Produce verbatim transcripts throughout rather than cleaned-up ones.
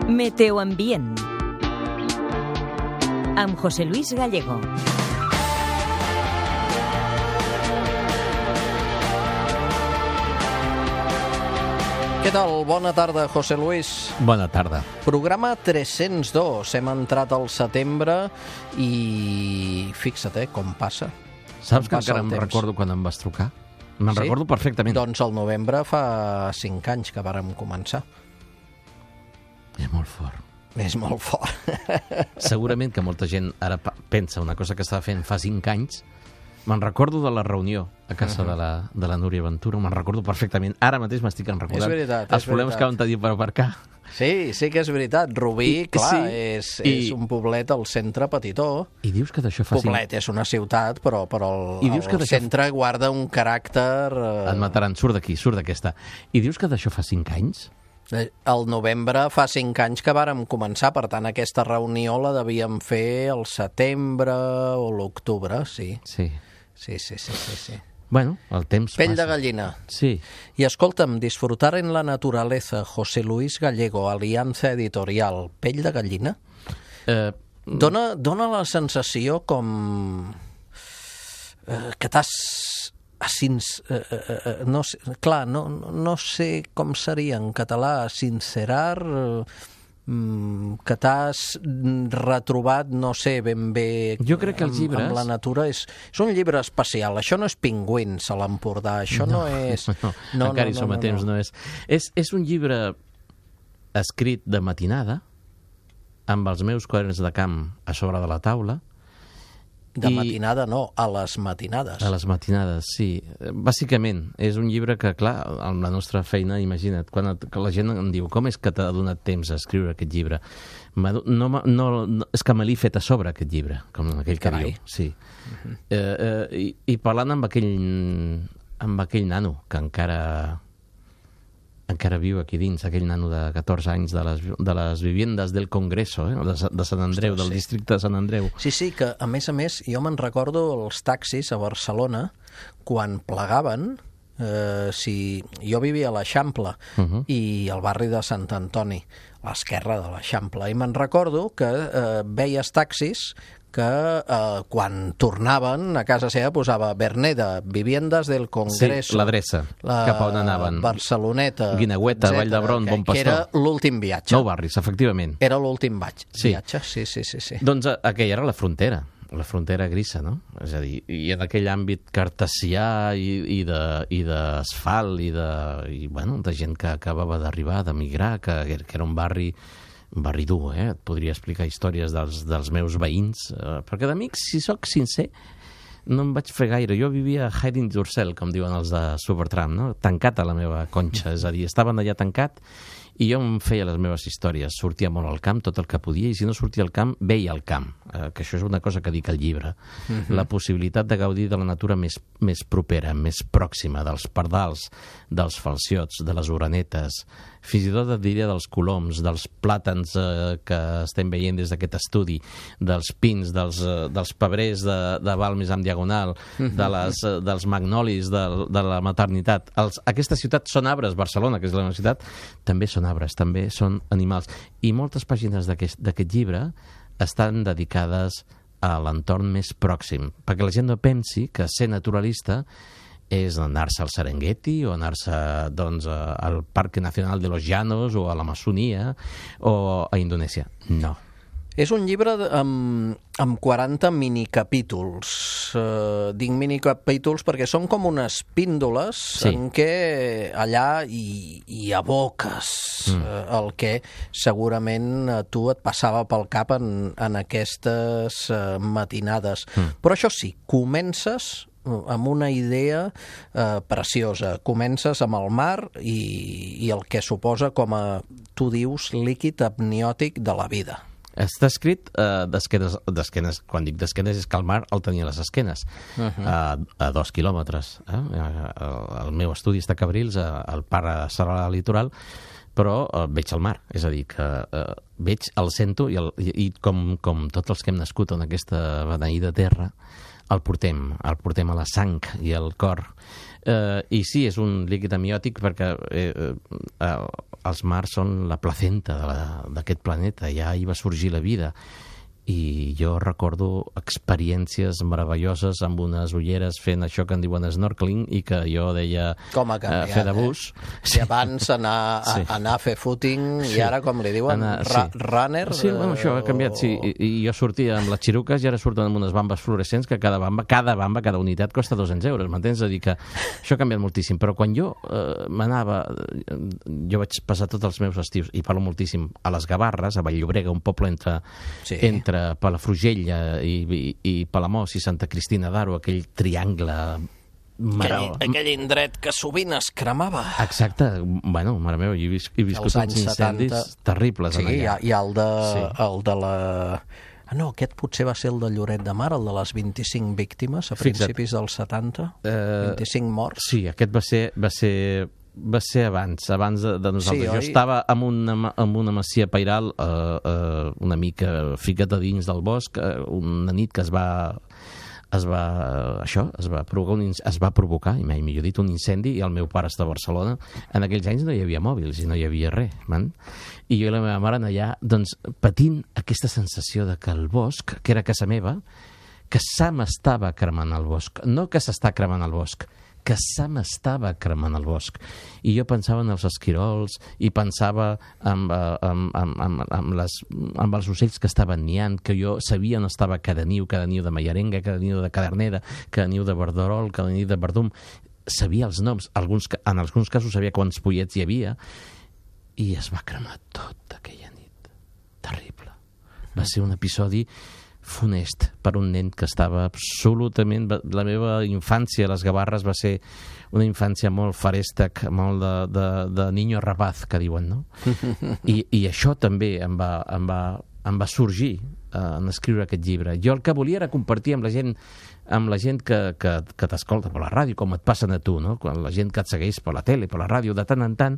Meteoambient amb José Luis Gallego. Què tal? Bona tarda, José Luis. Bona tarda. Programa tres-cents dos. Hem entrat al setembre i fixa't, eh, com passa. Saps com que encara em recordo quan em vas trucar? Me'n sí? recordo perfectament. Doncs al novembre fa cinc anys que vàrem començar. És molt fort. És molt fort. Segurament que molta gent ara pensa una cosa que estava fent fa cinc anys. Me'n recordo de la reunió a casa uh -huh. de, la, de la Núria Ventura, me'n recordo perfectament. Ara mateix m'estic recordant és veritat, els és problemes veritat. que vam tenir per aparcar. Sí, sí que és veritat. Rubí, I, clar, sí, és, i, és un poblet al centre petitó. I dius que d'això fa Poblet cinc... és una ciutat, però, però el, I dius que el d'això... centre guarda un caràcter... Eh... Et mataran, surt d'aquí, surt d'aquesta. I dius que d'això fa cinc anys? Al novembre fa cinc anys que vàrem començar, per tant aquesta reunió la devíem fer al setembre o l'octubre, sí. Sí. Sí, sí, sí, sí, sí. Bueno, el temps Pell passa. de gallina. Sí. I escolta'm, disfrutar en la naturaleza, José Luis Gallego, Alianza Editorial, Pell de gallina? Eh... Dona, dona la sensació com eh, que t'has... Asins, eh, eh, no sé, clar, no, no sé com seria en català, sincerar, eh, que t'has retrobat, no sé ben bé, jo crec que els llibres... amb, amb la natura. És, és un llibre especial. Això no és Pingüins a l'Empordà, això no, no és... No, no, encara no, hi som no, a temps, no, no és. és. És un llibre escrit de matinada, amb els meus quaderns de camp a sobre de la taula. De I... matinada no, a les matinades. A les matinades, sí. Bàsicament, és un llibre que, clar, amb la nostra feina, imagina't, quan et, que la gent em diu com és que t'ha donat temps a escriure aquest llibre? No, no, no, és que me l'he fet a sobre, aquest llibre, com aquell que Carai. diu. Sí. Uh-huh. eh, eh, i, I parlant amb aquell, amb aquell nano que encara... encara viu aquí dins, aquell nano de catorze anys de les, de les viviendes del Congreso, eh? de, de Sant Andreu, Ostres, del sí. districte de Sant Andreu. Sí, sí, que a més a més jo me'n recordo els taxis a Barcelona quan plegaven, eh, si jo vivia a l'Eixample Uh-huh. i al barri de Sant Antoni, a l'esquerra de l'Eixample, i me'n recordo que eh, veies taxis que eh, quan tornaven a casa seva posava Verneda, Viviendas del Congreso. Sí, l'adreça, cap a on anaven. Barceloneta, Guineueta, Vall d'Hebron, Bon Pastor. Que era l'últim viatge. Nou barris, efectivament. Era l'últim viatge. Sí. viatge. Sí, sí, sí, sí. Doncs aquella era la frontera, la frontera grisa, no? És a dir, i en aquell àmbit cartesià i, i d'asfalt i, de, i, bueno, de gent que acabava d'arribar, d'emigrar, que, que era un barri un barri dur, eh? Et podria explicar històries dels, dels meus veïns, eh, perquè d'amics, si sóc sincer, no em vaig fer gaire. Jo vivia a Hiding Yourself, com diuen els de Supertramp, no? Tancat a la meva conxa, és a dir, estaven allà tancat i jo em feia les meves històries. Sortia molt al camp, tot el que podia, i si no sortia al camp, veia al camp, eh, que això és una cosa que dic al llibre. Uh-huh. La possibilitat de gaudir de la natura més, més propera, més pròxima, dels pardals, dels falciots, de les orenetes, fins i tot et diria dels coloms, dels plàtans eh, que estem veient des d'aquest estudi, dels pins, dels, eh, dels pebrers de, de Balmes en diagonal, uh-huh. de les, eh, dels magnolis de, de la maternitat. Els, aquesta ciutat són arbres, Barcelona, que és la meva ciutat, també són arbres, també són animals. I moltes pàgines d'aquest llibre estan dedicades a l'entorn més pròxim, perquè la gent no pensi que ser naturalista és anar-se al Serengeti o anar-se doncs, al Parque Nacional de los Llanos o a l'Amazonia o a Indonèsia. No. És un llibre amb, amb quaranta minicapítols. Uh, dic minicapítols perquè són com unes píndoles sí. en què allà hi, hi aboques mm. uh, el que segurament a tu et passava pel cap en, en aquestes uh, matinades. Mm. Però això sí, comences amb una idea eh, preciosa. Comences amb el mar i, i el que suposa com a, tu dius, líquid amniòtic de la vida. Està escrit eh, d'esquenes, d'esquenes, quan dic d'esquenes és que el mar el tenia a les esquenes, uh-huh. a, a dos quilòmetres. Eh? El meu estudi està a Cabrils, al parc serà litoral, però eh, veig el mar, és a dir, que eh, veig, el sento, i, el, i, i com, com tots els que hem nascut en aquesta beneïda terra, el portem, el portem a la sang i al cor. Eh, I sí, és un líquid amniòtic perquè eh, eh, els mars són la placenta d'aquest planeta, ja hi va sorgir la vida. I jo recordo experiències meravelloses amb unes ulleres fent això que en diuen snorkeling i que jo deia com ha canviat, uh, fer de bus. Eh? Si abans anar, sí. a, anar a fer footing sí. i ara, com li diuen, anar, ra sí. runner... Sí, bueno, això ha canviat, o... sí. I, I jo sortia amb les xiruques i ara surten amb unes bambes fluorescents que cada bamba, cada bamba, cada unitat costa dos-cents euros, m'entens? És a dir, que això ha canviat moltíssim. Però quan jo uh, m'anava... Jo vaig passar tots els meus estius, i parlo moltíssim, a les Gavarres, a Vall-llobrega, un poble entre... Sí. entre Palafrugell i, i, i Palamós i Santa Cristina d'Aro, aquell triangle... Aquell, aquell indret que sovint es cremava. Exacte. Bueno, mare meva, he, vis, he viscut uns incendis setanta... terribles. Sí, hi ha, hi ha el, de, sí. el de la... Ah, no, aquest potser va ser el de Lloret de Mar, el de les vint-i-cinc víctimes a principis Fixa't. dels setanta. Uh, vint-i-cinc morts. Sí, aquest va ser... Va ser... va ser abans, abans de, de nosaltres. Sí, jo oi? estava en una, en una masia pairal eh, eh, una mica ficat a dins del bosc, eh, una nit que es va es va, això, es va provocar, un, es va provocar, i mai millor dit, un incendi, i el meu pare està a Barcelona. En aquells anys no hi havia mòbils i no hi havia res, man. I jo i la meva mare allà, doncs, patint aquesta sensació de que el bosc, que era casa meva, que se m'estava cremant el bosc. No que s'està cremant el bosc, que se m'estava cremant el bosc. I jo pensava en els esquirols i pensava en, en, en, en, en, les, en els ocells que estaven niant, que jo sabia on estava cada niu, cada niu de mallarenga, cada niu de cadernera, cada niu de verderol, cada niu de verdum. Sabia els noms, alguns, en alguns casos sabia quants pollets hi havia, i es va cremar tot aquella nit. Terrible. Va ser un episodi funest per un nen que estava absolutament... La meva infància a les Gavarres va ser una infància molt farèstec, molt de, de, de niño rapaz, que diuen, no? I, i això també em va, em va, em va sorgir eh, en escriure aquest llibre. Jo el que volia era compartir amb la gent amb la gent que, que, que t'escolta per la ràdio, com et passen a tu, no? Quan la gent que et segueix per la tele, per la ràdio, de tant en tant,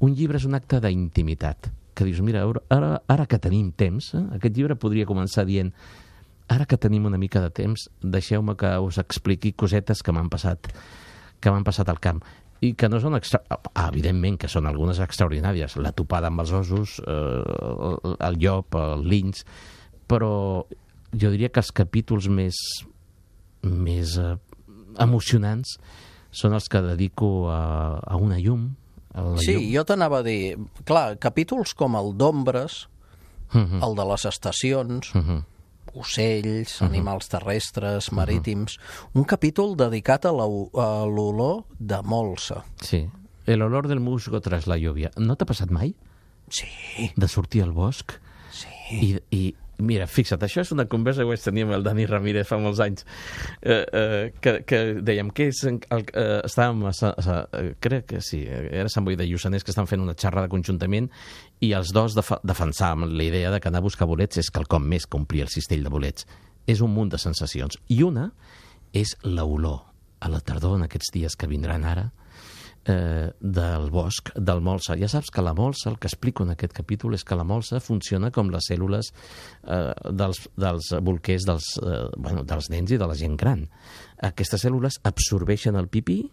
un llibre és un acte d'intimitat. Que dius, mira, ara, ara que tenim temps, eh, aquest llibre podria començar dient: ara que tenim una mica de temps, deixeu-me que us expliqui cosetes que m'han passat, que m'han passat al camp. I que no són... Extra... Ah, evidentment que són algunes extraordinàries. La topada amb els ossos, eh, el llop, el linx... Però jo diria que els capítols més, més eh, emocionants són els que dedico a, a una llum. A la sí, llum. Jo t'anava a dir... Clar, capítols com el d'ombres, uh-huh. el de les estacions... Uh-huh. ocells, uh-huh. animals terrestres, marítims... Uh-huh. Un capítol dedicat a l'olor de molsa. Sí, el olor del musgo tras la lluvia. No t'ha passat mai? Sí. De sortir al bosc? Sí. I, i mira, fixa't, això és una conversa que vaig tenir amb el Dani Ramírez fa molts anys, eh, eh, que, que dèiem que és el, eh, estàvem a, a, a, crec que sí, era Sant Boi de Lluçanès, que estan fent una xerrada conjuntament, i els dos def defensàvem la idea de que anar a buscar bolets és quelcom més que omplir el cistell de bolets. És un munt de sensacions. I una és l'olor a la tardor, en aquests dies que vindran ara, eh, del bosc, del molsa. Ja saps que la molsa, el que explico en aquest capítol, és que la molsa funciona com les cèl·lules eh, dels, dels bolquers dels, eh, bueno, dels nens i de la gent gran. Aquestes cèl·lules absorbeixen el pipí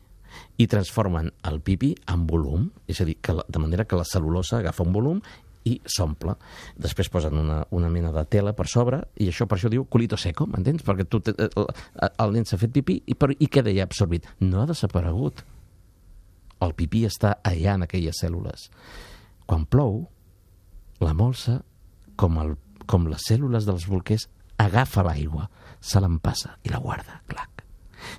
i transformen el pipí en volum, és a dir, que la, de manera que la cel·lulosa agafa un volum i s'omple. Després posen una, una mena de tela per sobre, i això per això diu culito seco, m'entens? Perquè tu, el, el nen s'ha fet pipí i, per, i queda ja absorbit. No ha desaparegut. El pipí està allà en aquelles cèl·lules. Quan plou, la molsa, com, el, com les cèl·lules dels bolquers, agafa l'aigua, se l'empassa i la guarda, clac.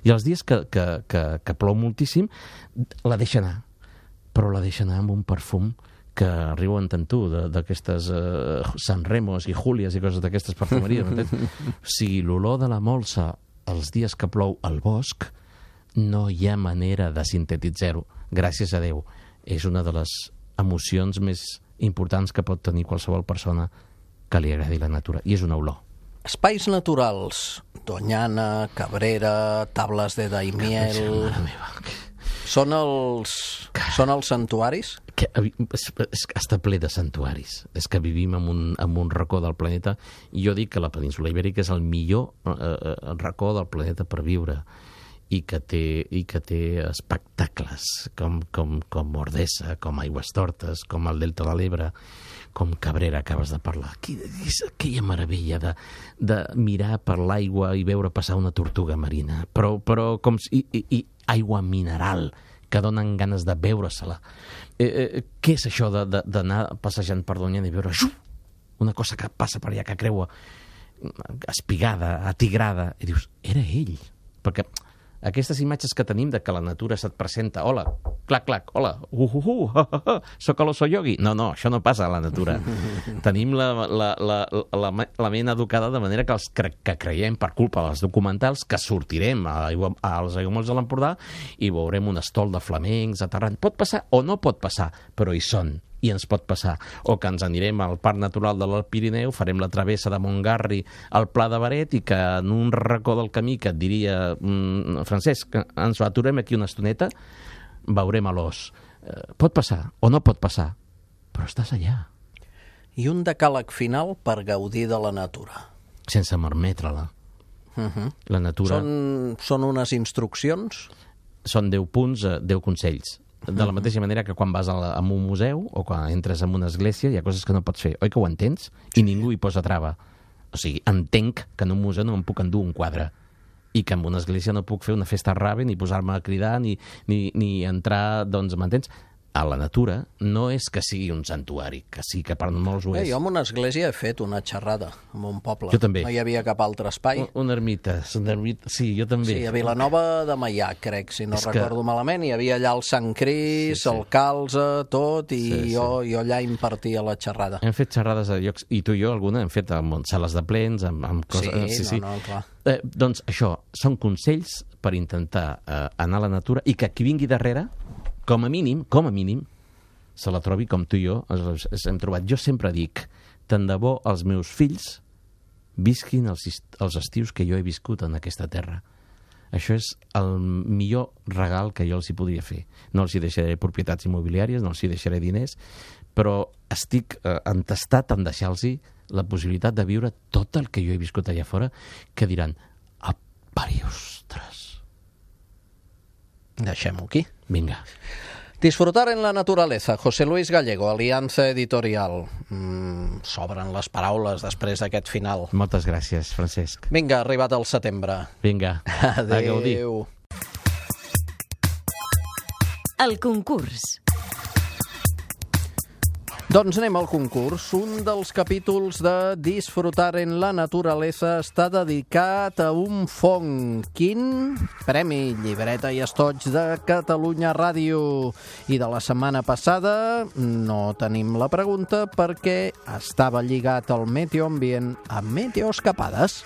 I els dies que, que, que, que plou moltíssim, la deixa anar, però la deixa anar amb un perfum que arribo a entendre tu, d'aquestes uh, San Remos i Júlies i coses d'aquestes perfumeries. O sigui, l'olor de la molsa els dies que plou al bosc, no hi ha manera de sintetitzar-ho. Gràcies a Déu. És una de les emocions més importants que pot tenir qualsevol persona que li agradi la natura. I és una olor. Espais naturals. Doñana, Cabrera, Tables de Daimiel... Són els, són els santuaris? Que, és, és, està ple de santuaris. És que vivim en un, en un racó del planeta. I jo dic que la península Ibèrica és el millor eh, racó del planeta per viure. i que té, i que té espectacles com, com, com Ordesa, com Aigüestortes, com el Delta de l'Ebre, com Cabrera, acabes de parlar. És aquella meravella de, de mirar per l'aigua i veure passar una tortuga marina, però, però com si, i, i aigua mineral, que donen ganes de veure-se-la. Eh, eh, què és això d'anar passejant per Doñana i veure xuf, una cosa que passa per allà, que creua espigada, atigrada, i dius, era ell. Perquè aquestes imatges que tenim de que la natura se't presenta, hola, clac, clac, hola, uh, uh, uh, uh, uh, uh soc l'oso yogi. No, no, això no passa a la natura. Tenim la, la, la, la, la ment educada de manera que els cre que creiem per culpa dels documentals que sortirem a, a, als aiguamolls de l'Empordà i veurem un estol de flamencs aterrant. Pot passar o no pot passar, però hi són. I ens pot passar. O que ens anirem al Parc Natural de l'Alt Pirineu, farem la travessa de Montgarri al Pla de Beret i que en un racó del camí que et diria mmm, Francesc, ens aturem aquí una estoneta, veurem a l'os. Eh, pot passar o no pot passar, però estàs allà. I un decàleg final per gaudir de la natura. Sense malmetre-la. Uh-huh. La natura... Són, són unes instruccions? Són deu punts, deu consells. De la mateixa manera que quan vas a, la, a un museu o quan entres en una església hi ha coses que no pots fer. Oi que ho entens? I ningú hi posa trava. O sigui, entenc que en un museu no em puc endur un quadre i que en una església no puc fer una festa rave ni posar-me a cridar ni, ni, ni entrar, doncs, m'entens? A la natura no és que sigui un santuari, que sí que per molts ho és. Eh, jo en una església he fet una xerrada en un poble. Jo també. No hi havia cap altre espai. Un, una ermita, una ermita, sí, jo també. Sí, a Vilanova de Meià, crec, si no és recordo que... malament. Hi havia allà el Sant Cris, sí, sí. el Calze, tot, i sí, jo, sí. jo allà impartia la xerrada. Hem fet xerrades a llocs, i tu i jo alguna hem fet en sales de plens, amb, amb coses... Sí, sí, no, no, clar. Eh, doncs això, són consells per intentar eh, anar a la natura i que qui vingui darrere, com a mínim, com a mínim, se la trobi com tu i jo ens, ens hem trobat. Jo sempre dic, tant de bo els meus fills visquin els, els estius que jo he viscut en aquesta terra. Això és el millor regal que jo els hi podria fer. No els hi deixaré propietats immobiliàries, no els hi deixaré diners, però estic eh, entestat en deixar-los la possibilitat de viure tot el que jo he viscut allà fora, que diran, apari, ostres. Deixem-ho aquí. Vinga. Disfrutar en la naturaleza. José Luis Gallego, Aliança Editorial. Mm, s'obren les paraules després d'aquest final. Moltes gràcies, Francesc. Vinga, ha arribat el setembre. Vinga, adéu. A gaudir. El concurs. Doncs anem al concurs. Un dels capítols de Disfrutar en la naturaleza està dedicat a un fong. Quin? Premi Llibreta i Estoig de Catalunya Ràdio. I de la setmana passada no tenim la pregunta perquè estava lligat al Meteo Ambient amb Meteoscapades.